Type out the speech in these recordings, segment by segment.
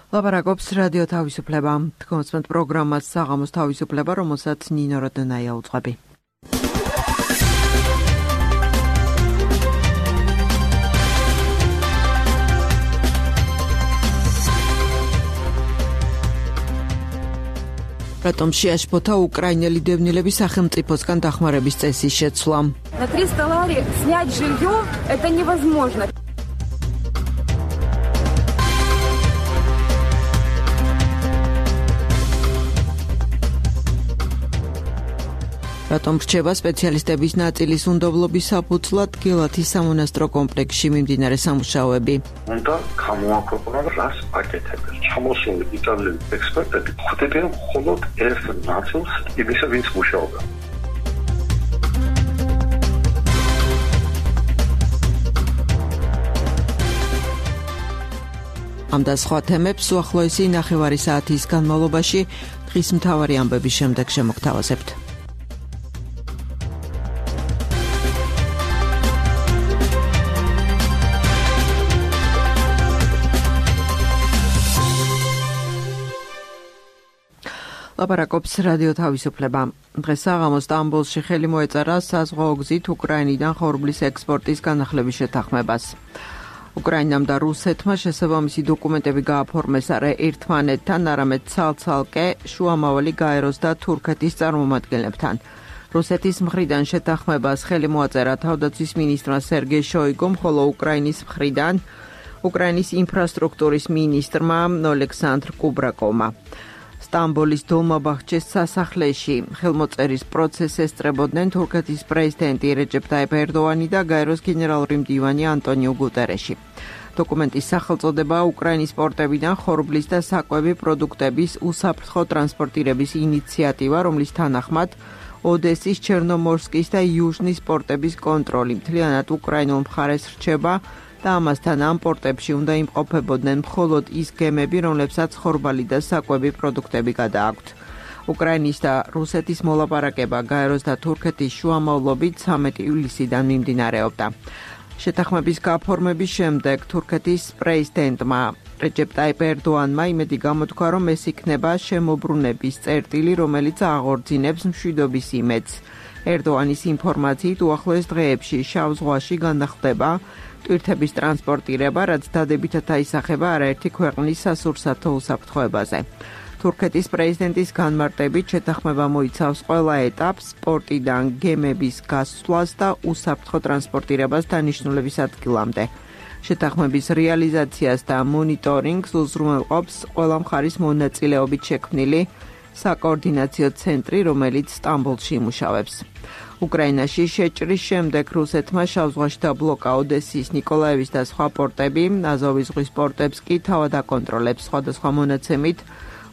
ლაპარაკობს რადიო თავისუფლება. თქვენს პროგრამას საღამოს თავისუფლება, რომელსაც ნინო როდონაია უძღვები. Ротом შეაშფოთა უკრაინელი დევნილების სახელმწიფოსგან დახმარების წესის შეცვლა. На 300 лари снять жилье это невозможно. Ротом რჩება სპეციალისტების ნაწილის უნდობლობის საფუძვლად გელათის სამონასტრო კომპლექსში მიმდინარე სამუშაოები. უნდა გამოაქვეყნონ რას აკეთებენ. ჩამოსული იტალიელი ექსპერტები ხვდებიან მხოლოდ ერთ ნაწილს იმისა, ვინც მუშაობდა. ამ და სხვა თემებს უახლოესი 9 საათის განმავლობაში დღის მთავარი ამბების შემდეგ შემოგთავაზებთ. ლაპარაკობს რადიო თავისუფლება. დღეს საღამოს სტამბოლში ხელი მოეწარა საზღვაო გზით უკრაინიდან ხორბლის ექსპორტის განახლების შეთანხმებას. უკრაინამ და რუსეთმა შესაბამისი დოკუმენტები გააფორმეს არა ერთმანეთთან, არამედ ცალ-ცალკე შუამავალი გაეროს და თურქეთის წარმომადგენლებთან. რუსეთის მხრიდან შეთანხმებას ხელი მოაწერა თავდაცვის მინისტრმა სერგეი შოიგომ, ხოლო უკრაინის მხრიდან უკრაინის ინფრასტრუქტურის მინისტრმა ოლექსანდრ კუბრაკოვმა. სტამბოლის დოლმაბახჩეს სასახლეში ხელმოწერის პროცესს ესწრებოდნენ თურქეთის პრეზიდენტი რეჯეპ ტაიპ ერდოანი და გაეროს გენერალური მდივანი ანტონიუ გუტერეში. დოკუმენტის სახელწოდება უკრაინის პორტებიდან ხორბლის და საკვები პროდუქტების უსაფრთხო ტრანსპორტირების ინიციატივა, რომლის თანახმად ოდესის, ჩერნომორსკის და იუჟნის პორტების კონტროლი მთლიანად უკრაინულ მხარეს რჩება და ამასთან ამ პორტებში უნდა იმყოფებოდნენ მხოლოდ ის გემები, რომლებსაც ხორბალი და საკვები პროდუქტები გადააქვთ. უკრაინის და რუსეთის მოლაპარაკება გაეროს და თურქეთის შუამავლობით 13 ივლისიდან მიმდინარეობდა. შეთანხმების გაფორმების შემდეგ თურქეთის პრეზიდენტმა რეჯეპ ტაიპ ერდოანმა იმედი გამოთქვა, რომ ეს იქნება შემოbrunების წერტილი, რომელიც აღორძინებს მშვიდობის იმედს. ერდოანის ინფორმაციით უახლოეს დღეებში შავ ზღვაში განახლდება ტვირთების ტრანსპორტირება, რაც დადებითად აისახება არაერთი ქვეყნის სასურსათო უსაფრთხოებაზე. თურქეთის პრეზიდენტის განმარტებით შეთანხმება მოიცავს ყველა ეტაპს, პორტიდან გემების გასვლას და უსაფრთხო ტრანსპორტირებას დანიშნულების ადგილამდე. შეთანხმების რეალიზაციას და მონიტორინგს უზრუნველყოფს ყველა მხარის მონაწილეობით შექმნილი საკოორდინაციო ცენტრი, რომელიც სტამბოლში იმუშავებს. უკრაინაში შეჭრის შემდეგ რუსეთმა შავ ზღვაში დაბლოკა ოდესის, ნიკოლაევის და სხვა პორტები, აზოვის ზღვის პორტებს კი თავად აკონტროლებს. სხვადასხვა მონაცემით,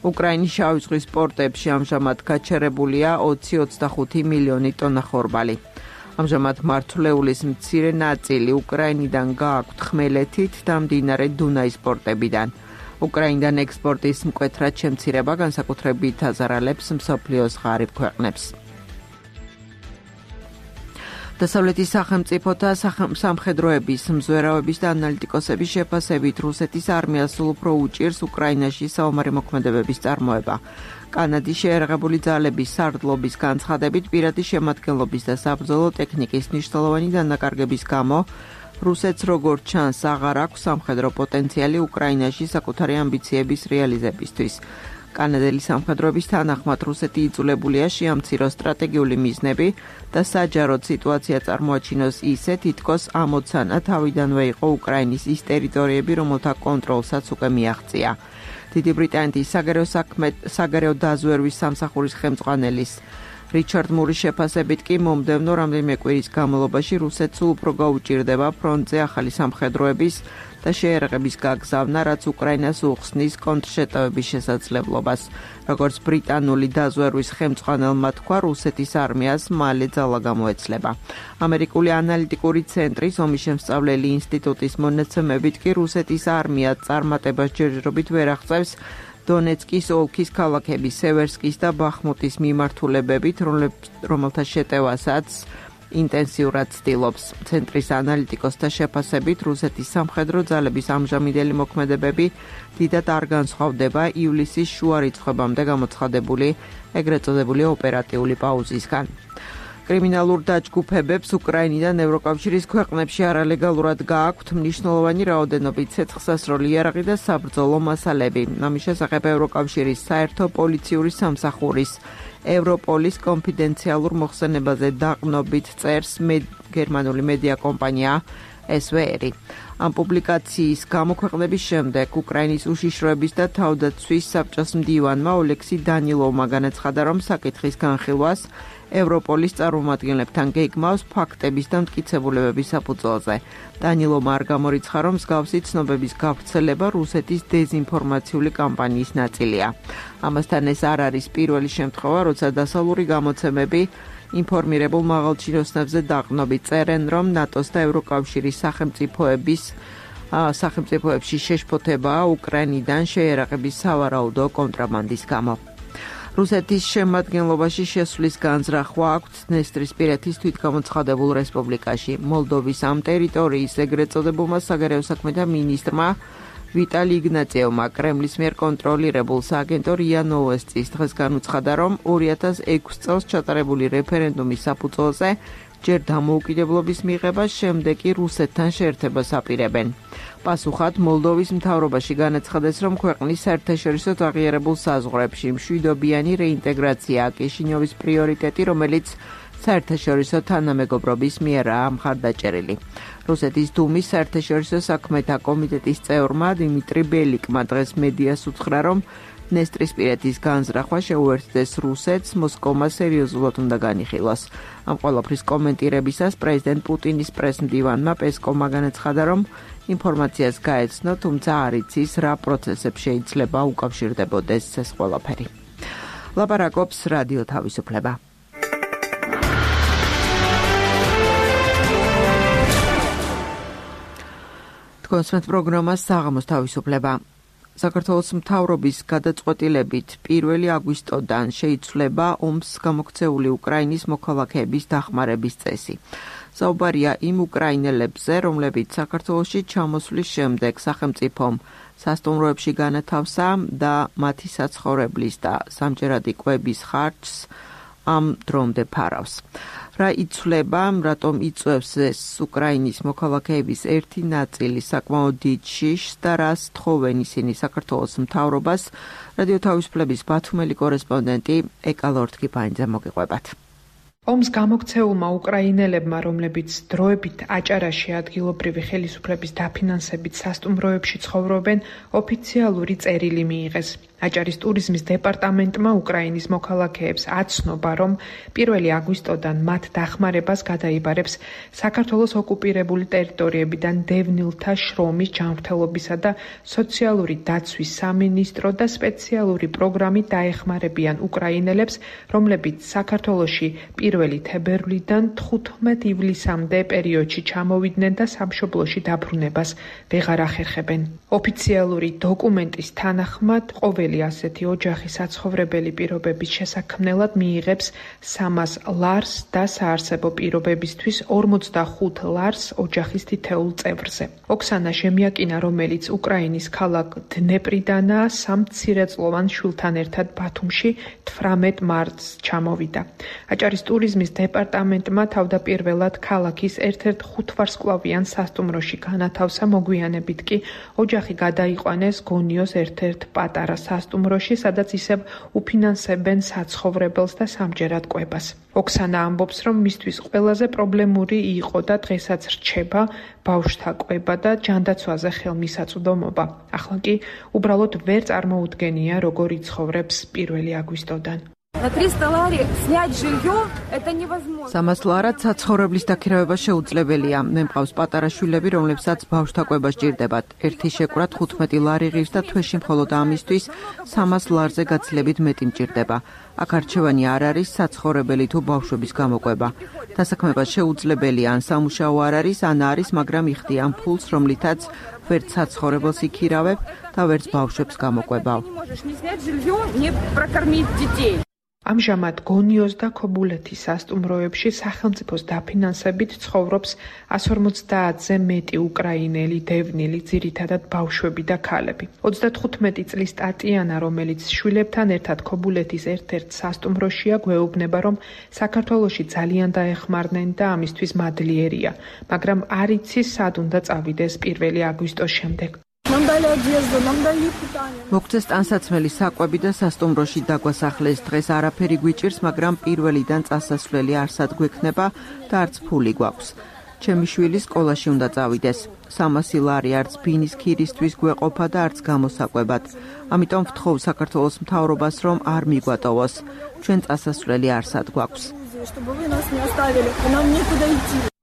უკრაინის შავი ზღვის პორტებში ამჟამად გაჩერებულია 20-25 მილიონი ტონა ხორბალი. ამჟამად მართლეულის მცირე ნაწილი უკრაინიდან გააქვთ ხმელეთით და მდინარე დუნაის პორტებიდან. უკრაინიდან ექსპორტის მკვეთრად შემცირება განსაკუთრებით აზარალებს მსოფლიოს ღარიბ ქვეყნებს. დასავლეთის სახელმწიფოთა სამხედროების, მზვერავების და ანალიტიკოსების შეფასებით რუსეთის არმიას სულ უფრო უჭირს უკრაინაში საომარი მოქმედებების წარმოება. კანადის შეერაღებული ძალების სარდლობის განცხადებით პირადი შემადგენლობის და საბრძოლო ტექნიკის მნიშვნელოვანი დანაკარგების გამო რუსეთს როგორც ჩანს აღარ აქვს სამხედრო პოტენციალი უკრაინაში საკუთარი ამბიციების რეალიზებისთვის. კანადელი სამხედროების თანახმად რუსეთი იძულებულია შეამციროს სტრატეგიული მიზნები და საჯაროდ სიტუაცია წარმოაჩინოს ისე, თითქოს ამოცანა თავიდანვე იყო უკრაინის ის ტერიტორიები, რომელთა კონტროლსაც უკვე მიაღწია. დიდი ბრიტანეთის საგარეო დაზვერვის სამსახურის ხელმძღვანელის რიჩარდ მურის შეფასებით კი მომდევნო რამდენიმე კვირის განმავლობაში რუსეთს სულ უფრო გაუჭირდება ფრონტზე ახალი სამხედროების და შეერაღების გაგზავნა, რაც უკრაინას უხსნის კონტრშეტევების შესაძლებლობას. როგორც ბრიტანული დაზვერვის ხელმძღვანელმა თქვა, რუსეთის არმიას მალე ძალა გამოეცლება. ამერიკული ანალიტიკური ცენტრის ომისშემსწავლელი ინსტიტუტის მონაცემებით კი რუსეთის არმია წარმატებას ჯერჯერობით ვერ აღწევს დონეცკის ოლქის ქალაქების სევერსკის და ბახმუტის მიმართულებებით, რომელთა შეტევასაც ინტენსიურად ცდილობს. ცენტრის ანალიტიკოსთა შეფასებით, რუსეთის სამხედრო ძალების ამჟამინდელი მოქმედებები დიდად არ განსხვავდება ივლისის შუა რიცხვებამდე გამოცხადებული ეგრეთ წოდებული ოპერატიული პაუზისგან. კრიმინალურ დაჯგუფებებს უკრაინიდან ევროკავშირის ქვეყნებში არალეგალურად გააქვთ მნიშვნელოვანი რაოდენობით ცეცხლსასროლი იარაღი და საბრძოლო მასალები. ამის შესახებ ევროკავშირის საერთო პოლიციური სამსახურის ევროპოლის კონფიდენციალურ მოხსენებაზე დაყრდნობით წერს გერმანული მედია კომპანია SWR. ამ პუბლიკაციის გამოქვეყნების შემდეგ უკრაინის უშიშროების და თავდაცვის საბჭოს მდივანმა ოლექსი დანილოვმა განაცხადა, რომ საკითხის განხილვას ევროპოლის წარმომადგენლებთან გეგმავს ფაქტების და მტკიცებულებების საფუძველზე. დანილოვმა არ გამორიცხა, რომ მსგავსი ცნობების გავრცელება რუსეთის დეზინფორმაციული კამპანიის ნაწილია. ამასთან ეს არ არის პირველი შემთხვევა, როცა დასავლური გამოცემები ინფორმირებულ მაღალჩინოსნებზე დაყრდნობით წერენ, რომ ნატოს და ევროკავშირის სახელმწიფოებში შეშფოთებაა უკრაინიდან შეიარაღების სავარაუდო კონტრაბანდის გამო. რუსეთის შემადგენლობაში შესვლის განზრახვა აქვთ დნესტრისპირეთის თვითგამოცხადებულ რესპუბლიკაში. მოლდოვის ამ ტერიტორიის ეგრეთ წოდებულმა საგარეო საქმეთა მინისტრმა ვიტალი იგნატიევმა კრემლის მიერ კონტროლირებულ სააგენტო რია ნოვოსტის დღეს განუცხადა, რომ 2006 წელს ჩატარებული რეფერენდუმის საფუძველზე ჯერ დამოუკიდებლობის მიღებას, შემდეგ კი რუსეთთან შეერთებას აპირებენ. პასუხად მოლდოვის მთავრობაში განაცხადეს, რომ ქვეყნის საერთაშორისო აღიარებულ საზღვრებში მშვიდობიანი რეინტეგრაციაა კიშინიოვის პრიორიტეტი, რომელიც საერთაშორისო თანამეგობრობის მიერაა მხარდაჭერილი. რუსეთის დუმის საერთაშორისო საქმეთა კომიტეტის წევრმა დიმიტრი ბელიკმა დღეს მედიას უთხრა, რომ დნესტრისპირეთის განზრახვა შეუერთდეს რუსეთს, მოსკოვმა სერიოზულად უნდა განიხილოს. ამ ყველაფრის კომენტირებისას პრეზიდენტ პუტინის პრესმდივანმა პესკოვმა განაცხადა, რომ ინფორმაციას გაეცნო, თუმცა არ იცის რა პროცესებს შეიძლება უკავშირდებოდეს ეს ყველაფერი. ლაპარაკობს რადიო თავისუფლება. თქვენს პროგრამას საღამოს თავისუფლება. საქართველოს მთავრობის გადაწყვეტილებით 1 აგვისტოდან შეიცვლება ომს გამოქცეული უკრაინის მოქალაქეების დახმარების წესი. საუბარია იმ უკრაინელებზე, რომლებიც საქართველოში ჩამოსვლის შემდეგ სახელმწიფომ სასტუმროებში განათავსა და მათი საცხოვრებლის და სამჯერადი კვების ხარჯს ამ დრომდე ფარავს. რა იცვლება, რატომ იწვევს ეს უკრაინის მოქალაქეების ერთი ნაწილი საკმაოდ დიდ შიშს და რას თხოვენ ისინი საქართველოს მთავრობას, რადიო თავისუფლების ბათუმელი კორესპონდენტი ეკალორთკიფანიძე მოგიყვებათ. ომს გამოქცეულმა უკრაინელებმა, რომლებიც დროებით აჭარაში ადგილობრივი ხელისუფლების დაფინანსებით სასტუმროებში ცხოვრობენ, ოფიციალური წერილი მიიღეს. აჭარის ტურიზმის დეპარტამენტმა უკრაინის მოქალაქეებს აცნობა, რომ 1 აგვისტოდან მათ დახმარებას გადაიბარებს საქართველოს ოკუპირებული ტერიტორიებიდან დევნილთა შრომის ჯანმრთელობისა და სოციალური დაცვის სამინისტრო და სპეციალური პროგრამით დაეხმარებიან უკრაინელებს, რომლებიც საქართველოში 1 თებერვლიდან 15 ივლისამდე პერიოდში ჩამოვიდნენ და სამშობლოში დაბრუნებას ვეღარ ახერხებენ. ოფიციალური დოკუმენტის თანახმად ყოველი ასეთი ოჯახი საცხოვრებელი პირობების შესაქმნელად მიიღებს 300 ლარს და საარსებო პირობებისთვის 45 ლარს ოჯახის თითოეულ წევრზე. ოქსანა ჟემიაკინა, რომელიც უკრაინის ქალაქ დნეპრიდანაა, 3 მცირეწლოვან შვილთან ერთად ბათუმში 18 მარტს ჩამოვიდა. აჭარის ტურიზმის დეპარტამენტმა თავდაპირველად ქალაქის ერთ-ერთ 5 ვარსკვლავიან სასტუმროში განათავსა, მოგვიანებით კი ოჯახი გადაიყვანეს გონიოს ერთ-ერთ პატარა სასტუმროში, სადაც ისევ უფინანსებენ საცხოვრებელს და სამჯერად კვებას. ოქსანა ამბობს, რომ მისთვის ყველაზე პრობლემური იყო და დღესაც რჩება ბავშვთა კვება და ჯანდაცვაზე ხელმისაწვდომობა. ახლა კი უბრალოდ ვერ წარმოუდგენია, როგორ იცხოვრებს 1 აგვისტოდან. На 300 лари снять жилье это невозможно. 300 ლარად საცხოვრებლის დაქირავება შეუძლებელია. მე მყავს პატარა შვილები, რომლებსაც ბავშვთა კვება სჭირდებათ. ერთი შეკვრა 15 ლარი ღირს და თვეში მხოლოდ ამისთვის 300 ლარზე გაცილებით მეტი მჭირდება. აქ არჩევანი არ არის საცხოვრებელი თუ ბავშვების გამოკვება. დასაქმება შეუძლებელია, ან სამუშაო არ არის, ან არის, მაგრამ იხდიან ფულს, რომლითაც ვერც საცხოვრებელს იქირავებ და ვერც ბავშვებს გამოკვებავ. ამჟამად გონიოს და ქობულეთის სასტუმროებში სახელმწიფოს დაფინანსებით ცხოვრობს 150-ზე მეტი უკრაინელი დევნილი, ძირითადად ბავშვები და ქალები. 35 წლის ტატიანა, რომელიც შვილებთან ერთად ქობულეთის ერთ-ერთ სასტუმროშია, გვეუბნება, რომ საქართველოში ძალიან დაეხმარნენ და ამისთვის მადლიერია, მაგრამ არ იცის სად უნდა წავიდეს 1 აგვისტოს შემდეგ. მოგწეს ტანსაცმელი საკვები და სასტუმროში დაგვასახლეს. დღეს არაფერი გვიჭირს, მაგრამ პირველიდან წასასვლელი არსად გვექნება და არც ფული გვაქვს. ჩემი შვილი სკოლაში უნდა წავიდეს. 300 ლარი არც ბინის ქირისთვის გვეყოფა და არც გამოსაკვებად. ამიტომ ვთხოვ საქართველოს მთავრობას, რომ არ მიგვატოვოს. ჩვენ წასასვლელი არსად გვაქვს.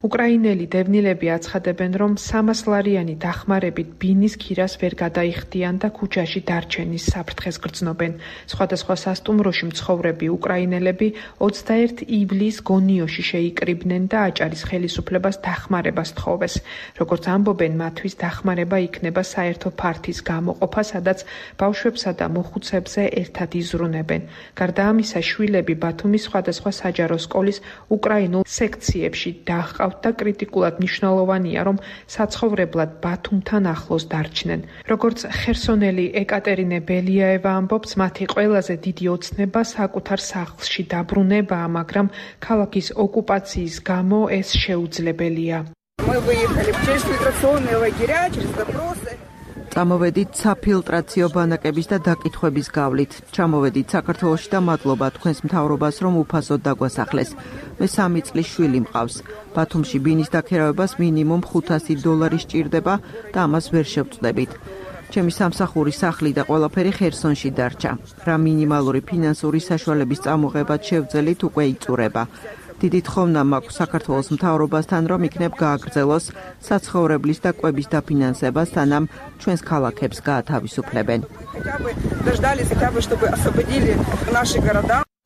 უკრაინელი დევნილები აცხადებენ, რომ 300 ლარიანი დახმარებით ბინის ქირას ვერ გადაიხდიან და ქუჩაში დარჩენის საფრთხეს გრძნობენ. სხვადასხვა სასტუმროში მცხოვრები უკრაინელები 21 ივლისს გონიოში შეიკრიბნენ და აჭარის ხელისუფლებას დახმარებას თხოვეს. როგორც ამბობენ, მათთვის დახმარება იქნება საერთო ფართის გამოყოფა, სადაც ბავშვებსა და მოხუცებზე ერთად იზრუნებენ. გარდა ამისა, შვილები ბათუმის სხვადასხვა საჯარო სკოლის უკრაინულ სექციებში დაჰყავთ და კრიტიკულად მნიშვნელოვანია, რომ საცხოვრებლად ბათუმთან ახლოს დარჩნენ. როგორც ხერსონელი ეკატერინე ბელიაევა ამბობს, მათი ყველაზე დიდი ოცნება საკუთარ სახლში დაბრუნებაა, მაგრამ ქალაქის ოკუპაციის გამო ეს შეუძლებელია. წამოვედით საფილტრაციო ბანაკების და დაკითხვების გავლით. ჩამოვედით საქართველოში და მადლობა თქვენს მთავრობას, რომ უფასოდ დაგვასახლეს. მე 3 წლის შვილი მყავს. ბათუმში ბინის დაქერავებას მინიმუმ $500 სჭირდება და ამას ვერ შევწდებით. ჩემი სამსახური სახლი და ყველაფერი ხერსონში დარჩა. რა მინიმალური ფინანსური საშუალების წამოღებად შევძელით უკვე იწურება. დიდი თხოვნა მაქვს საქართველოს მთავრობასთან, რომ იქნებ გააგრძელოს საცხოვრებლის და კვების დაფინანსება, სანამ ჩვენს ქალაქებს გაათავისუფლებენ.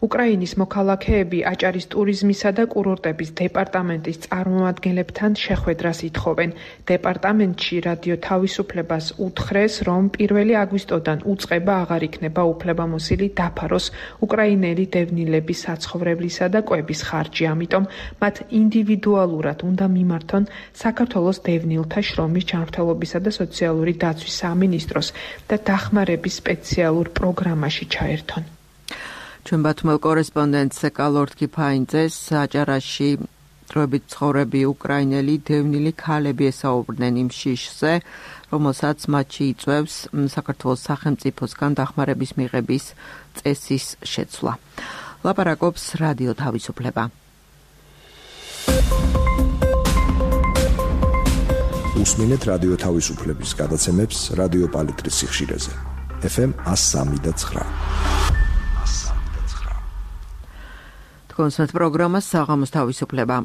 უკრაინის მოქალაქეები აჭარის ტურიზმისა და კურორტების დეპარტამენტის წარმომადგენლებთან შეხვედრას ითხოვენ. დეპარტამენტში რადიო თავისუფლებას უთხრეს, რომ 1 აგვისტოდან უწყება აღარ იქნება უფლებამოსილი დაფაროს უკრაინელი დევნილების საცხოვრებლისა და კვების ხარჯი, ამიტომ მათ ინდივიდუალურად უნდა მიმართონ საქართველოს დევნილთა შრომის ჯანმრთელობისა და სოციალური დაცვის სამინისტროს და დახმარების სპეციალურ პროგრამაში ჩაერთონ. ჩვენ ბათუმელ კორესპონდენტს კალორთკი ფაინძეს აჭარაში დროებით ცხოვრები უკრაინელი დევნილი ქალები ესაუბრნენ იმ შიშზე, რომელსაც მათში იწვევს საქართველოს სახელმწიფოსგან დახმარების მიღების წესის შეცვლა. ლაპარაკობს რადიო თავისუფლება. უსმინეთ რადიო თავისუფლების გადაცემებს რადიო პალიტრის სიხშირეზე. FM 103.9. კონსერტ პროგრამა საღამოს თავისუფლება.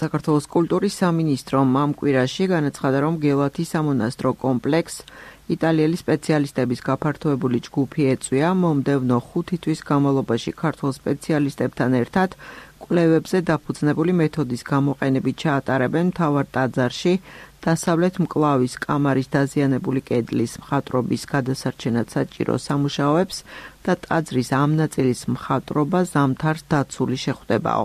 საქართველოს კულტურის სამინისტრომ ამ კვირაში განაცხადა, რომ გელათის სამონასტრო კომპლექსს იტალიელი სპეციალისტების გაფართოებული ჯგუფი ეწვია მომდევნო 5 თვის განმავლობაში ქართულ სპეციალისტებთან ერთად კვლევებზე დაფუძნებული მეთოდის გამოყენებით ჩაატარებენ მთავარ ტაძარში დასავლეთ მკლავის კამარის დაზიანებული კედლის მხატვრობის გადასარჩენად საჭირო სამუშაოებს და ტაძრის ამ ნაწილის მხატვრობა ზამთარს დაცული შეხვდებაო.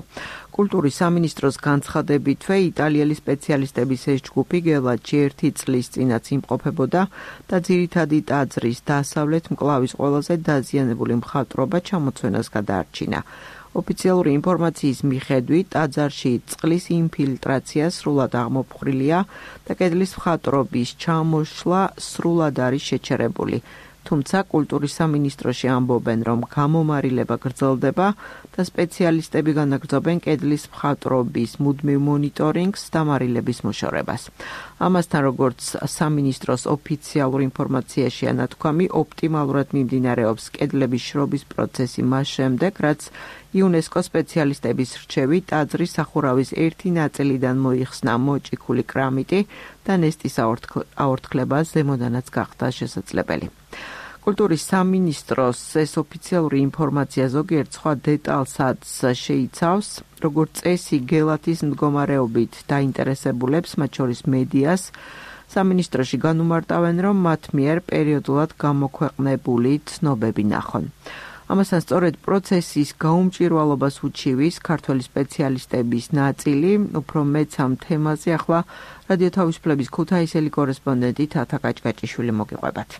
კულტურის სამინისტროს განცხადებითვე იტალიელი სპეციალისტების ეს ჯგუფი გელათში 1 წლის წინაც იმყოფებოდა და ძირითადი ტაძრის დასავლეთ მკლავის ყველაზე დაზიანებული მხატვრობა ჩამოცვენას გადაარჩინა. ოფიციალური ინფორმაციის მიხედვით ტაძარში წყლის ინფილტრაცია სრულად აღმოფხვრილია და კედლის მხატვრობის ჩამოშლა სრულად არის შეჩერებული. თუმცა კულტურის სამინისტროში ამბობენ, რომ გამომარილება გრძელდება და სპეციალისტები განაგრძობენ კედლის მხატვრობის მუდმივ მონიტორინგს და მარილების მოშორებას. ამასთან, როგორც სამინისტროს ოფიციალურ ინფორმაციაშია ნათქვამი, ოპტიმალურად მიმდინარეობს კედლების შრობის პროცესი მას შემდეგ, რაც იუნესკო სპეციალისტების რჩევით ტაძრის სახურავის ერთი ნაწილიდან მოიხსნა მოჭიქული კრამიტი და ნესტის აორთქლება ზემოდანაც გახდა შესაძლებელი. კულტურის სამინისტროს ეს ოფიციალური ინფორმაცია ზოგიერთ სხვა დეტალსაც შეიცავს, როგორც წესი გელათის მდგომარეობით დაინტერესებულებს, მათ შორის მედიას, სამინისტროში განუმარტავენ, რომ მათ მიერ პერიოდულად გამოქვეყნებული ცნობები ნახონ. ამასთან სწორედ პროცესის გაუმჭირვალობას უჩივის ქართველი სპეციალისტების ნაწილი, უფრო მეც ამ თემაზე ახლა რადიო თავისუფლების ქუთაისელი კორესპონდენტი თათა კაჭკაჭიშვილი მოგიყვებათ.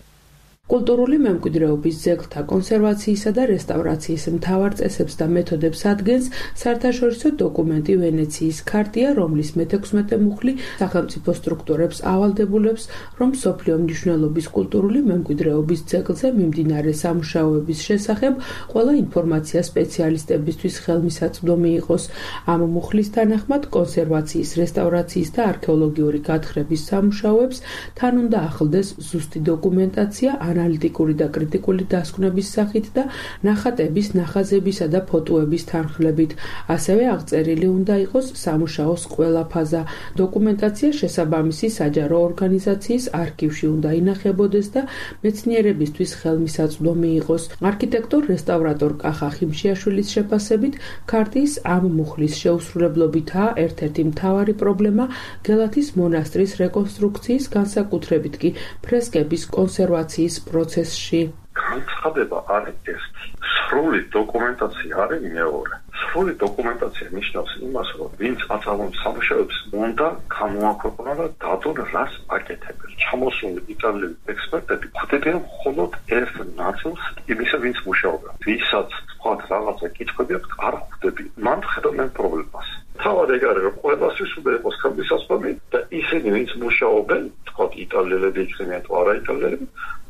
კულტურული მემკვიდრეობის ძეგლთა კონსერვაციისა და რესტავრაციის მთავარ წესებს და მეთოდებს ადგენს საერთაშორისო დოკუმენტი ვენეციის ქარტია, რომლის მე-16 მუხლი სახელმწიფო სტრუქტურებს ავალდებულებს, რომ მსოფლიო მნიშვნელობის კულტურული მემკვიდრეობის ძეგლზე მიმდინარე სამუშაოების შესახებ ყველა ინფორმაცია სპეციალისტებისთვის ხელმისაწვდომი იყოს. ამ მუხლის თანახმად კონსერვაციის, რესტავრაციის და არქეოლოგიური გათხრების სამუშაოებს თან უნდა ახლდეს ზუსტი დოკუმენტაცია ანალიტიკური და კრიტიკული დასკვნების სახით და ნახატების, ნახაზებისა და ფოტოების თანხლებით. ასევე აღწერილი უნდა იყოს სამუშაოს ყველა ფაზა. დოკუმენტაცია შესაბამისი საჯარო ორგანიზაციის არქივში უნდა ინახებოდეს და მეცნიერებისთვის ხელმისაწვდომი იყოს. არქიტექტორ რესტავრატორ კახა ხიმშიაშვილის შეფასებით, ქარტიის ამ მუხლის შეუსრულებლობითაა ერთ-ერთი მთავარი პრობლემა გელათის მონასტრის რეკონსტრუქციის, განსაკუთრებით კი ფრესკების კონსერვაციის პროცესში. განცხადება არის ერთი. სრული დოკუმენტაცია არის მეორე. სრული დოკუმენტაცია ნიშნავს იმას, რომ ვინც აწარმოებს სამუშაოებს, უნდა გამოაქვეყნა და დადონ რას აკეთებენ. ჩამოსული იტალიელი ექსპერტები ხვდებიან მხოლოდ ერთ ნაწილს იმისა, ვინც მუშაობდა. ვისაც თქვა რაღაცა კითხვები აქვს, არ ხვდები. მან ხედავენ პრობლემას. თავად ეგ არის, რომ ყველასთვის უნდა იყოს ხელმისაწვდომი და ისინი, ვინც მუშაობენ, თქვა იტალიელები იქნებიან თუ არა იტალიელები,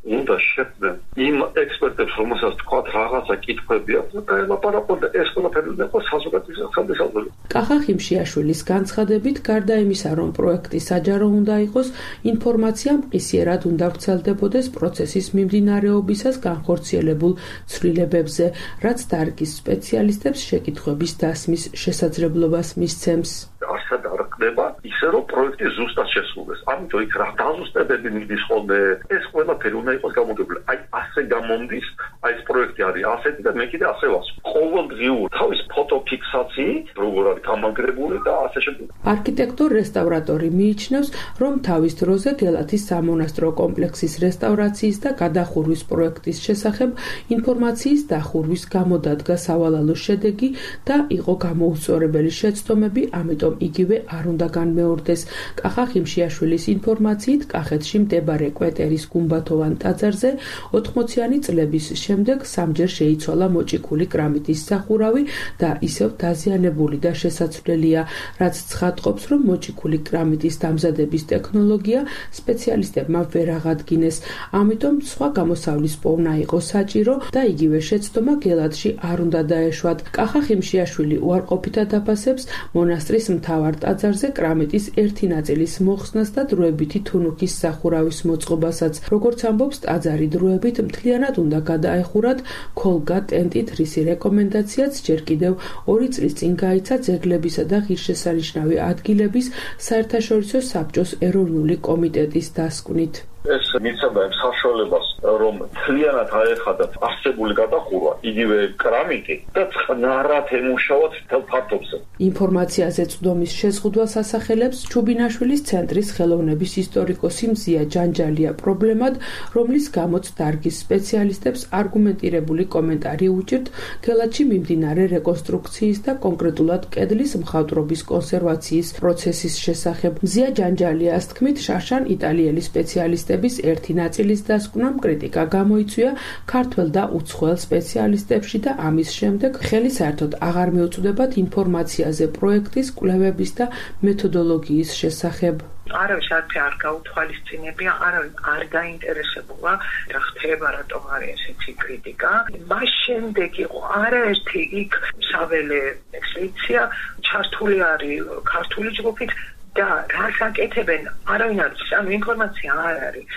უნდა შეხვდნენ იმ ექსპერტებს, რომელსაც თქვა რაღაცა კითხვები აქვს და ელაპარაკონ და ეს ყველაფერი უნდა იყოს საზოგადოების ხელმისაწვდომი. კახა ხიმშიაშვილის განცხადებით, გარდა იმისა, რომ პროექტი საჯარო უნდა იყოს, ინფორმაცია მყისიერად უნდა ვრცელდებოდეს პროცესის მიმდინარეობისას განხორციელებულ ცვლილებებზე, რაც დარგის სპეციალისტებს შეკითხვების დასმის შესაძლებლობას მისცემს. ასად არ ხდება ისე, რომ პროექტი ზუსტად შესრულდეს. ამიტომ იქ რა დაზუსტებები მიდის ხოლმე, ეს ყველაფერი უნდა იყოს გამოგებული. აი ასე გამომდის, აი ეს პროექტი არის ასეთი და მე კიდე ასე ვასწავლ. ყოველდღიური თავის ფოტოფიქსაციით, როგორ არის გამაგრებული და ასე შემდეგ. არქიტექტორ რესტავრატორი მიიჩნევს, რომ თავის დროზე გელათის სამონასტრო კომპლექსის რესტავრაციის და გადახურვის პროექტის შესახებ ინფორმაციის დახურვის გამოდადგა სავალალო შედეგი და იყო გამოუსწორებელი შეცდომები, ამიტომ იგივე არ უნდა განმეორდეს. კახა ხიმშიაშვილის ინფორმაციით, კახეთში მდებარე კვეტერის გუმბათოვან ტაძარზე 80-იანი წლების შემდეგ სამჯერ შეიცვალა მოჭიქული კრამიტის სახურავი და ისევ დაზიანებული და შესაცვლელია, რაც ცხადყოფს, რომ მოჭიქული კრამიტის დამზადების ტექნოლოგია სპეციალისტებმა ვერ აღადგინეს. ამიტომ სხვა გამოსავლის პოვნა იყო საჭირო და იგივე შეცდომა გელათში არ უნდა დაეშვათ. კახა ხიმშიაშვილი უარყოფითად აფასებს მონასტრის მთავარ ტაძარზე კრამიტის ერთი ნაწილის მოხსნას და დროებითი თუნუქის სახურავის მოწყობასაც. როგორც ამბობს, ტაძარი დროებით მთლიანად უნდა გადაეხურათ ქოლგა ტენტით, რისი რეკომენდაციაც ჯერ კიდევ 2 წლის წინ გაიცა ძეგლებისა და ღირსშესანიშნავი ადგილების საერთაშორისო საბჭოს ეროვნული კომიტეტის დასკვნით. ეს მიცემდა იმ საშუალებას, რომ მთლიანად აეხადათ არსებული გადახურვა, იგივე კრამიტი და წყნარად ემუშავოთ მთელ ფართობზე. ინფორმაციაზე წვდომის შეზღუდვას ასახელებს ჩუბინაშვილის ცენტრის ხელოვნების ისტორიკოსი მზია ჯანჯალია პრობლემად, რომლის გამოც დარგის სპეციალისტებს არგუმენტირებული კომენტარი უჭირთ გელათში მიმდინარე რეკონსტრუქციის და კონკრეტულად კედლის მხატვრობის კონსერვაციის პროცესის შესახებ. მზია ჯანჯალიას თქმით, შარშან იტალიელი სპეციალისტები ერთი ნაწილის დასკვნამ კრიტიკა გამოიწვია ქართველ და უცხოელ სპეციალისტებში და ამის შემდეგ ხელი საერთოდ აღარ მიუწვდებათ ინფორმაციაზე პროექტის კვლევების და მეთოდოლოგიის შესახებ. არავის არ გაუთვალისწინებია, არავის არ გაინტერესებულა რა ხდება, რატომ არის ესეთი კრიტიკა. მას შემდეგ იყო არაერთი იქ საველე ექსპედიცია, ჩართული არის ქართული ჯგუფით და რას აკეთებენ, არავინ არ იცის, ანუ ინფორმაცია არ არის,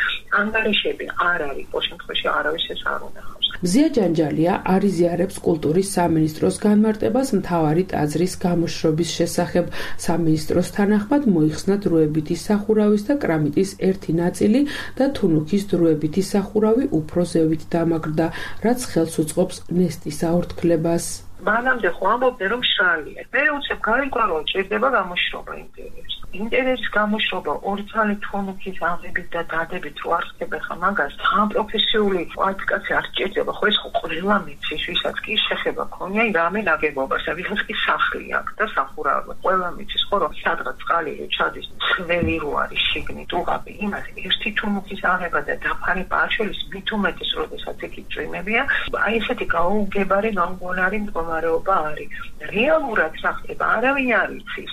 ანგარიშები არ არის, ყოველ შემთხვევაში არავის ეს არ უნახავს. მზია ჯანჯალია არიზიარებს კულტურის სამინისტროს განმარტებას მთავარი ტაძრის გამოშრობის შესახებ. სამინისტროს თანახმად მოიხსნა დროებითი სახურავის და კრამიტის ერთი ნაწილი და თუნუქის დროებითი სახურავი უფრო ზევით დამაგრდა, რაც ხელს უწყობს ნესტის აორთქლებას. მანამდე ხო ამბობდნენ, რომ შრალია. მე უცებ გაიგო, რომ ჭირდება გამოშრობა ინტერიერს. ინტერესის გამოშრობა ორი ძალით თონუქის აღებით და დადებით რო არ ხდება ხა მაგას თან პროფესიული კვალიფიკაცია არ სჭირდება ხო ეს ხო ყველა მიცის ვისაც კი შეხება ქონია რამე ნაგებობას და ვიღაც კი სახლი აქვს და სახურავი ყველა მიცის ხო რომ სადღაც წყალი რო ჩადის ხმელი რო არის შიგნით დუღაბი იმას ერთი თუნუქის აღება და დაფარი პარშელის მით უმეტეს როდესაც იქ წვიმებია აი ესეთი გაუგებარი გამგონარი მდგომარეობა არის რეალურად რა ხდება არავინ არ იცის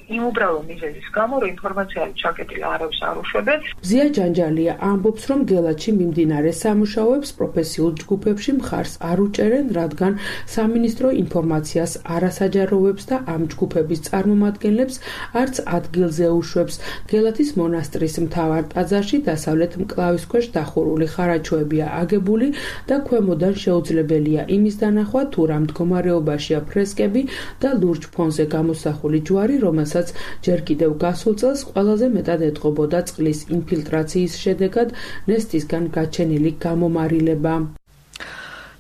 იმ უბრალო მიზეზის გამო რომ ინფორმაცია არის ჩაკეტილი არავის არ უშვებენ ზია ჯანჯალია ამბობს რომ გელათში მიმდინარე სამუშაოებს პროფესიულ ჯგუფებში მხარს არ უჭერენ რადგან სამინისტრო ინფორმაციას არ ასაჯაროვებს და ამ ჯგუფების წარმომადგენლებს არც ადგილზე უშვებს გელათის მონასტრის მთავარ ტაძარში დასავლეთ მკლავის ქვეშ დახურული ხარაჩოებია აგებული და ქვემოდან შეუძლებელია იმის დანახვა თუ რა მდგომარეობაშია ფრესკები და ლურჯ ფონზე გამოსახული ჯვარი რომელსაც ჯერ კიდევ გასულ წელს ყველაზე მეტად ეთყობოდა წყლის ინფილტრაციის შედეგად ნესტისგან გაჩენილი გამომარილება.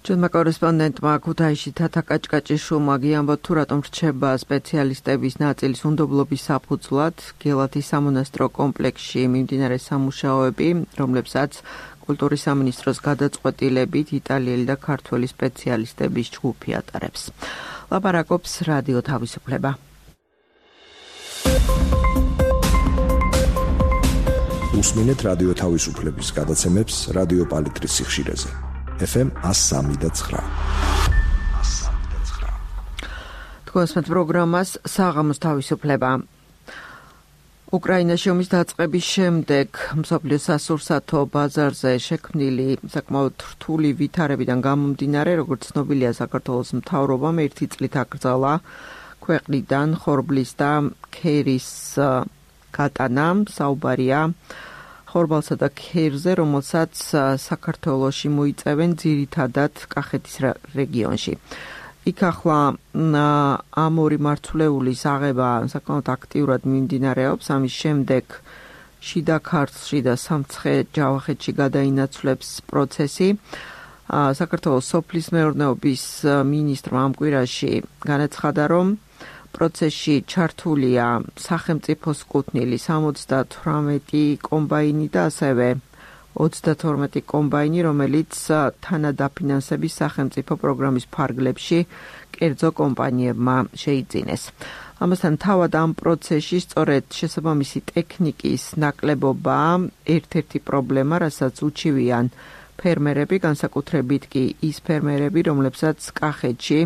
ჩვენმა კორესპონდენტმა ქუთაისში თათა კაჭკაჭიშვილმა გიამბოთ თუ რატომ რჩება სპეციალისტების ნაწილის უნდობლობის საფუძვლად გელათის სამონასტრო კომპლექსში მიმდინარე სამუშაოები, რომლებსაც კულტურის სამინისტროს გადაწყვეტილებით იტალიელი და ქართველი სპეციალისტების ჯგუფი ატარებს. ლაპარაკობს რადიო თავისუფლება. უსმინეთ რადიო თავისუფლების გადაცემებს რადიო პალიტრის სიხშირეზე. FM 103.9. თქვენს პროგრამას საღამოს თავისუფლება. უკრაინაში ომის დაწყების შემდეგ მსოფლიოს სასურსათო ბაზარზე შექმნილი საკმაოდ რთული ვითარებიდან გამომდინარე, როგორც ცნობილია, საქართველოს მთავრობამ ერთი წლით აკრძალა ქვეყნიდან ხორბლის და ქერის გატანა, საუბარია ხორბალსა და ქერზე, რომელსაც საქართველოში მოიწევენ ძირითადად კახეთის რეგიონში. იქ ახლა ამ ორი მართლეულის აღება საკმაოდ აქტიურად მიმდინარეობს, ამის შემდეგ შიდა ქართლში და სამცხე-ჯავახეთში გადაინაცვლებს პროცესი. საქართველოს სოფლის მეურნეობის მინისტრმა ამ კვირაში განაცხადა, რომ პროცესში ჩართულია სახელმწიფოს კუთვნილი 78 კომბაინი და ასევე 32 კომბაინი, რომელიც თანადაფინანსების სახელმწიფო პროგრამის ფარგლებში კერძო კომპანიებმა შეიძინეს. ამასთან თავად ამ პროცესში სწორედ შესაბამისი ტექნიკის ნაკლებობა ერთ-ერთი პრობლემა, რასაც უჩივიან ფერმერები, განსაკუთრებით კი ის ფერმერები, რომლებსაც კახეთში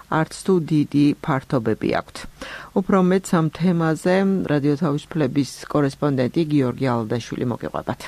არც თუ დიდი ფართობები აქვთ. უფრო მეტს ამ თემაზე რადიო თავისუფლების კორესპონდენტი გიორგი ალდაშვილი მოგეყვებათ.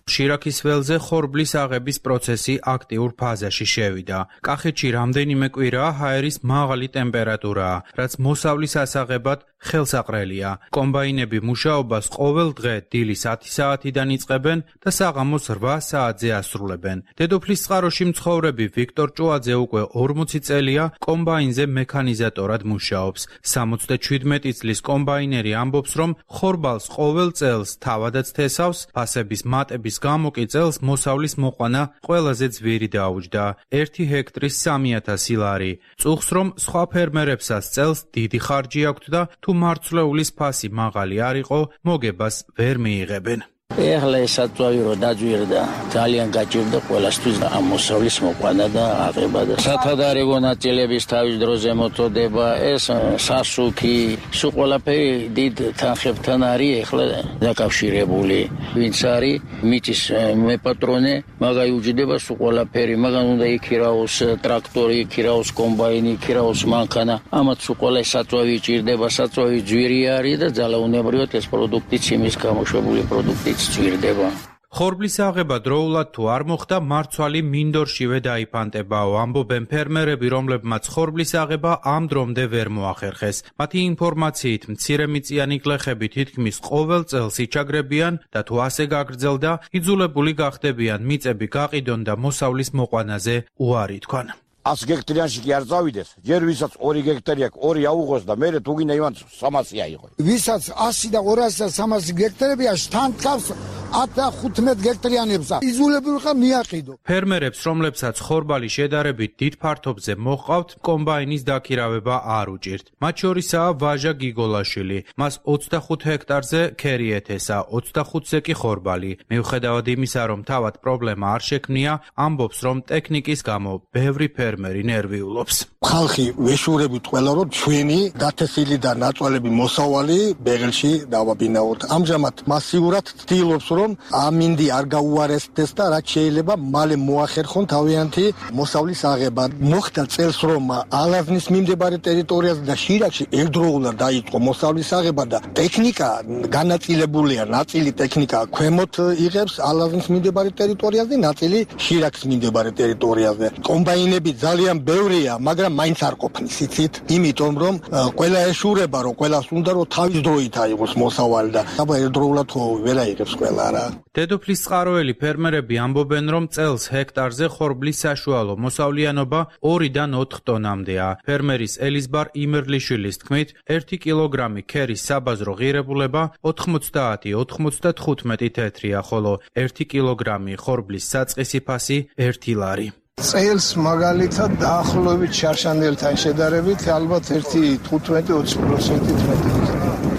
შირაქის ველზე ხორბლის აღების პროცესი აქტიურ ფაზაში შევიდა. კახეთში რამდენიმე კვირაა ჰაერის მაღალი ტემპერატურაა, რაც მოსავლის ასაღებად ხელსაყრელია. კომბაინები მუშაობას ყოველ დღე დილის 10 საათიდან იწყებენ და საღამოს 8 საათზე ასრულებენ. დედოფლის წყაროში მცხოვრები ვიქტორ ჭუაძე უკვე 40 წელია კომბაინზე მექანიზატორად მუშაობს. 77 წლის კომბაინერი ამბობს, რომ ხორბალს ყოველ წელს თავადაც თესავს, ფასების მატების გამო კი წელს მოსავლის მოყვანა ყველაზე ძვირი დაუჯდა 1 ჰექტრის 3000 ლარი. წუხს რომ სხვა ფერმერებსაც წელს დიდი ხარჯი აქვთ და თუ მარცვლეულის ფასი მაღალი არ იყო, მოგებას ვერ მიიღებენ. ეხლა ეს საწვავი რო დაძვირდა, ძალიან გაჭირდა ყველასთვის ამ მოსავლის მოყვანა და აღება და სათადარიგო ნაწილების თავის დროზე მოწოდება, ეს სასუქი, სულ ყველაფერი დიდ თანხებთან არის ეხლა დაკავშირებული. ვინც არის მიწის მეპატრონე, მაგაი უჯდება სულ ყველაფერი, მაგან უნდა იქირაოს ტრაქტორი, იქირაოს კომბაინი, იქირაოს მანქანა. ამათ სულ ყველა საწვავი ჭირდება, საწვავი ძვირი არის და ძალაუნებრივად ეს პროდუქტიც იმის გამოშვებული პროდუქტიც ძვირდება. ხორბლის აღება დროულად თუ არ მოხდა, მარცვალი მინდორშივე დაიფანტებაო, ამბობენ ფერმერები, რომლებმაც ხორბლის აღება ამ დრომდე ვერ მოახერხეს. მათი ინფორმაციით, მცირემიწიანი გლეხები თითქმის ყოველ წელს იჩაგრებიან და თუ ასე გაგრძელდა, იძულებული გახდებიან მიწები გაყიდონ და მოსავლის მოყვანაზე უარი თქვან. 100 გექტარიანში კი არ წავიდეს, ჯერ ვისაც 2 გექტარი აქვს, 2 აუღოს და მერე თუ გინდა იმან 300 აიღო. ვისაც 100 და 200 და 300 გექტარებია, თან თავს 10-15 გექტრიანებსა იზოლებული ხარ მიაყიდო. ფერმერებს, რომლებსაც ხორბალი შედარებით დიდ ფართობზე მოჰყავთ, კომბაინის დაქირავება არ უჭირთ. მათ შორისაა ვაჟა გიგოლაშვილი. მას 25 ჰექტარზე ქერი ეთესა, 25-ზე კი ხორბალი. მიუხედავად იმისა, რომ თავად პრობლემა არ შექმნია, ამბობს, რომ ტექნიკის გამო ბევრი ფერმერი ნერვიულობს. ხალხი ვეშურებით ყველა რომ ჩვენი დათესილი და ნაწვალები მოსავალი ბეღელში დავაბინაოთ. ამჟამად მასიურად ცდილობს რომ ამინდი არ გაუარესდეს და რაც შეიძლება მალე მოახერხონ თავიანთი მოსავლის აღება. მოხდა წელს რომ ალაზნის მიმდებარე ტერიტორიაზე და შირაკში ერთდროულად დაიწყო მოსავლის აღება და ტექნიკა განაწილებულია. ნაწილი ტექნიკა ქვემოთ იღებს ალაზნის მიმდებარე ტერიტორიაზე, ნაწილი შირაკის მიმდებარე ტერიტორიაზე. კომბაინები ძალიან ბევრია, მაგრამ მაინც არ ყოფნის იცით, იმიტომ რომ ყველა ეშურება რომ ყველას უნდა რომ თავის დროით აიღოს მოსავალი და აბა ერთდროულად ხო ვერ აიღებს ყველა რა. დედოფლის წყაროელი ფერმერები ამბობენ, რომ წელს ჰექტარზე ხორბლის საშუალო მოსავლიანობა 2-დან 4 ტონამდეა. ფერმერის ელიზბარ იმერლიშვილის თქმით, 1 კილოგრამი ქერის საბაზრო ღირებულება 90-95 თეთრია, ხოლო 1 კილოგრამი ხორბლის საწყისი ფასი 1 ლარი. წელს მაგალითად დაახლოებით შარშანელთან შედარებით ალბათ 1.15-20% მეტი.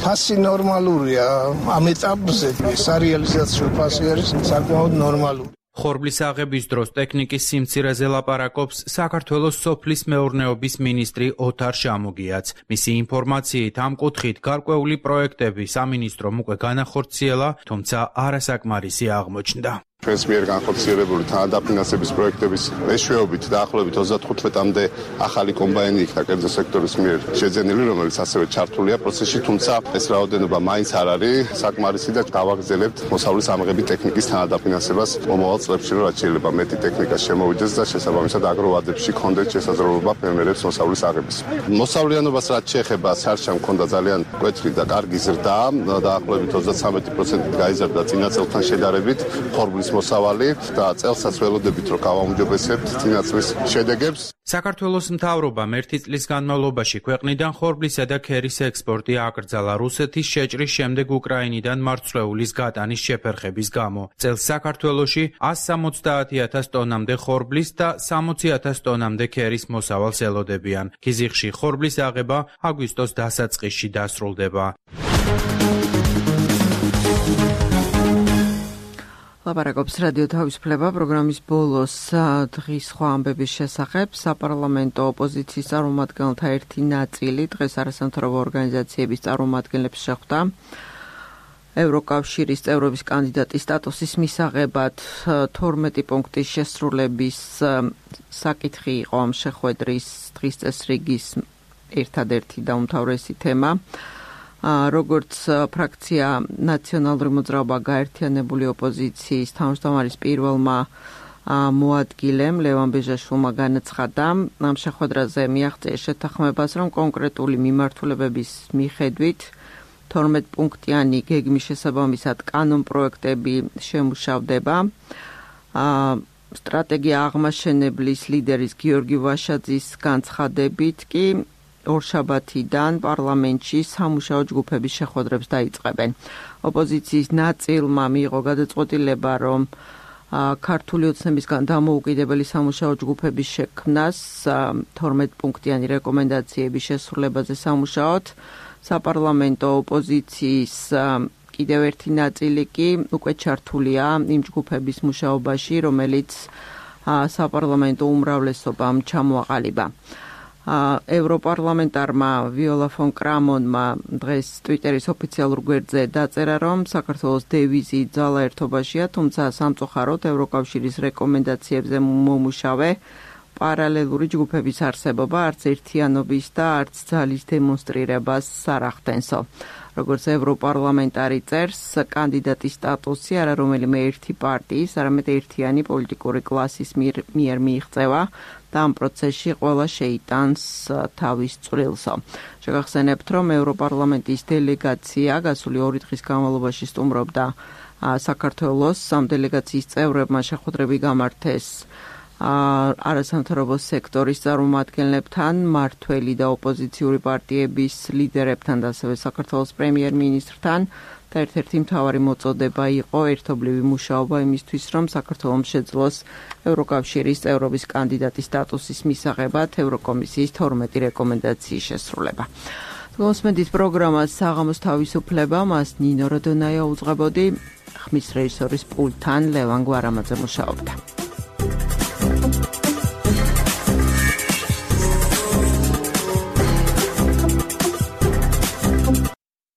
ფასი ნორმალურია, ამ ეტაპზე სარეალიზაციო ფასი არის საკმაოდ ნორმალური. ხორბლის აღების დროს ტექნიკის სიმცირეზე ლაპარაკობს საქართველოს სოფლის მეურნეობის მინისტრი ოთარ შამუგიაც. მისი ინფორმაციით ამ კუთხით გარკვეული პროექტები სამინისტრომ უკვე განახორციელა, თუმცა არასაკმარისი აღმოჩნდა. ჩვენს მიერ განხორციელებული თანადაფინანსების პროექტების მეშვეობით დაახლოებით 35-მდე ახალი კომბაინი იქნა კერძო სექტორის მიერ შეძენილი, რომელიც ასევე ჩართულია პროცესში, თუმცა ეს რაოდენობა მაინც არ არის საკმარისი და გავაგრძელებთ მოსავლის ამღების ტექნიკის თანადაფინანსებას მომავალ წლებში, რომ რაც შეიძლება მეტი ტექნიკა შემოვიდეს და შესაბამისად აგროვადებში კონდეთ შესაძლებლობა ფერმერებს მოსავლის აღების. მოსავლიანობას რაც შეეხება, სარჩამ ჰქონდა ძალიან მკვეთრი და კარგი ზრდა, დაახლოებით 33% გაიზარდა წინა წელთან შედარებით ხორბლის მოსავალი და წელსაც ველოდებით რომ გავაუმჯობესებთ წინა წლის შედეგებს. საქართველოს მთავრობამ 1 წლის განმავლობაში ქვეყნიდან ხორბლისა და ქერის ექსპორტი აკრძალა რუსეთის შეჭრის შემდეგ უკრაინიდან მარცვლეულის გატანის შეფერხების გამო. წელს საქართველოში 170,000 ტონამდე ხორბლის და 60,000 ტონამდე ქერის მოსავალს ელოდებიან. ქიზიყში ხორბლის აღება აგვისტოს დასაწყისში დასრულდება. ლაპარაკობს რადიო თავისუფლება პროგრამის ბოლოს დღის სხვა ამბების შესახებ. საპარლამენტო ოპოზიციის წარმომადგენელთა ერთი ნაწილი დღეს არასამთავრობო ორგანიზაციების წარმომადგენლებს შეხვდა ევროკავშირის წევრობის კანდიდატის სტატუსის მისაღებად. 12 პუნქტის შესრულების საკითხი იყო ამ შეხვედრის დღის წესრიგის ერთადერთი და უმთავრესი თემა. როგორც ფრაქცია ნაციონალური მოძრაობა გაერთიანებული ოპოზიციის თავმჯდომარის პირველმა მოადგილემ ლევან ბეჟაშვილმა განაცხადა ამ შეხვედრაზე მიაღწია შეთანხმებას, რომ კონკრეტული მიმართულებების მიხედვით 12 პუნქტიანი გეგმის შესაბამისად კანონპროექტები შემუშავდება. სტრატეგია აღმაშენებლის ლიდერის გიორგი ვაშაძის განცხადებით კი ორშაბათიდან პარლამენტში სამუშაო ჯგუფების შეხვედრებს დაიწყებენ. ოპოზიციის ნაწილმა მიიღო გადაწყვეტილება, რომ ქართული ოცნებისგან დამოუკიდებელი სამუშაო ჯგუფების შექმნას 12 პუნქტიანი რეკომენდაციების შესრულებაზე სამუშაოთ. საპარლამენტო ოპოზიციის კიდევ ერთი ნაწილი კი უკვე ჩართულია იმ ჯგუფების მუშაობაში, რომელიც საპარლამენტო უმრავლესობამ ჩამოაყალიბა. ევროპარლამენტარმა ვიოლა ფონ კრამონმა დღეს ტვიტერის ოფიციალურ გვერდზე დაწერა, რომ საქართველოს დევიზი ძალა ერთობაშია, თუმცა სამწუხაროდ ევროკავშირის რეკომენდაციებზე მომუშავე პარალელური ჯგუფების არსებობა არც ერთიანობის და არც ძალის დემონსტრირებას არ ახდენსო. როგორც ევროპარლამენტარი წერს, კანდიდატის სტატუსი არა რომელიმე ერთი პარტიის, არამედ ერთიანი პოლიტიკური კლასის მიერ მიიღწევა და ამ პროცესში ყველა შეიტანს თავის წვრილსო. შეგახსენებთ, რომ ევროპარლამენტის დელეგაცია გასული 2 დღის განმავლობაში სტუმრობდა საქართველოს. ამ დელეგაციის წევრებმა შეხვედრები გამართეს არასამთავრობო სექტორის წარმომადგენლებთან, მმართველი და ოპოზიციური პარტიების ლიდერებთან და ასევე საქართველოს პრემიერ-მინისტრთან და ერთ-ერთი მთავარი მოწოდება იყო ერთობლივი მუშაობა იმისთვის, რომ საქართველოს შეძლოს ევროკავშირის წევრობის კანდიდატის სტატუსის მისაღებად ევროკომისიის 12 რეკომენდაციის შესრულება. გოსმედით პროგრამას საღამოს თავისუფლება, მას ნინო როდონაია უძღვებოდი, ხმის რეჟისორის პულტთან ლევან გვარამაძე მუშაობდა.